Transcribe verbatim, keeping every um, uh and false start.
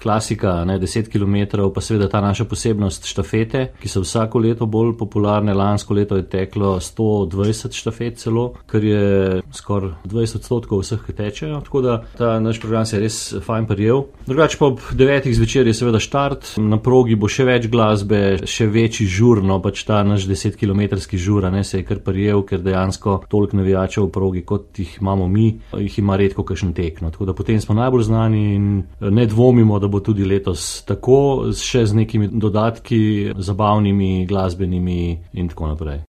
klasika, ne, deset kilometrov, pa seveda ta naša posebnost štafete, ki so vsako leto bolj popularne. Lansko leto je teklo sto dvajset štafet celo, kar je skoraj dvajset odstotkov vseh, ki tečejo, tako da ta naš program se je res fajn prijel. Drugače pa ob devetih zvečer je seveda štart, na progi bo še več glasbe, še večji žur, no pač ta naš desetkilometrski žur, ne, se je kar prijel, ker dejansko toliko navijačev v progi, kot jih imamo mi, jih ima redko kakšen tek, no, tako da potem smo najbolj znani in ne dvomimo, da bo tudi letos tako, še z nekimi dodatki zabavnimi, glasbenimi in tako naprej.